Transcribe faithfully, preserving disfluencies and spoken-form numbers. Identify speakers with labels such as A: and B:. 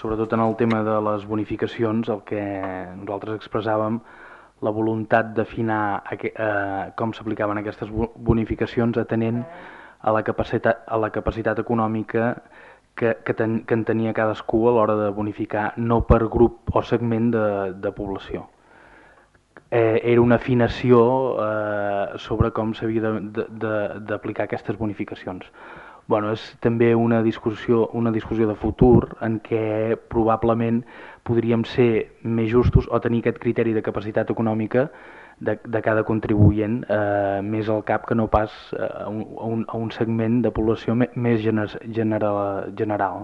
A: sobretot en el tema de les bonificacions, el que nosaltres expressàvem la voluntat d'afinar eh, com s'aplicaven aquestes bonificacions atenent a la capacitat, a la capacitat econòmica que, que, ten, que en tenia cadascú a l'hora de bonificar, no per grup o segment de, de població. Eh, era una afinació eh, sobre com s'havia d'aplicar aquestes bonificacions. Bueno, és també una discussió, una discussió de futur en què probablement podríem ser més justos o tenir aquest criteri de capacitat econòmica de, de cada contribuent eh, més al cap que no pas a un, a un segment de població més general. general.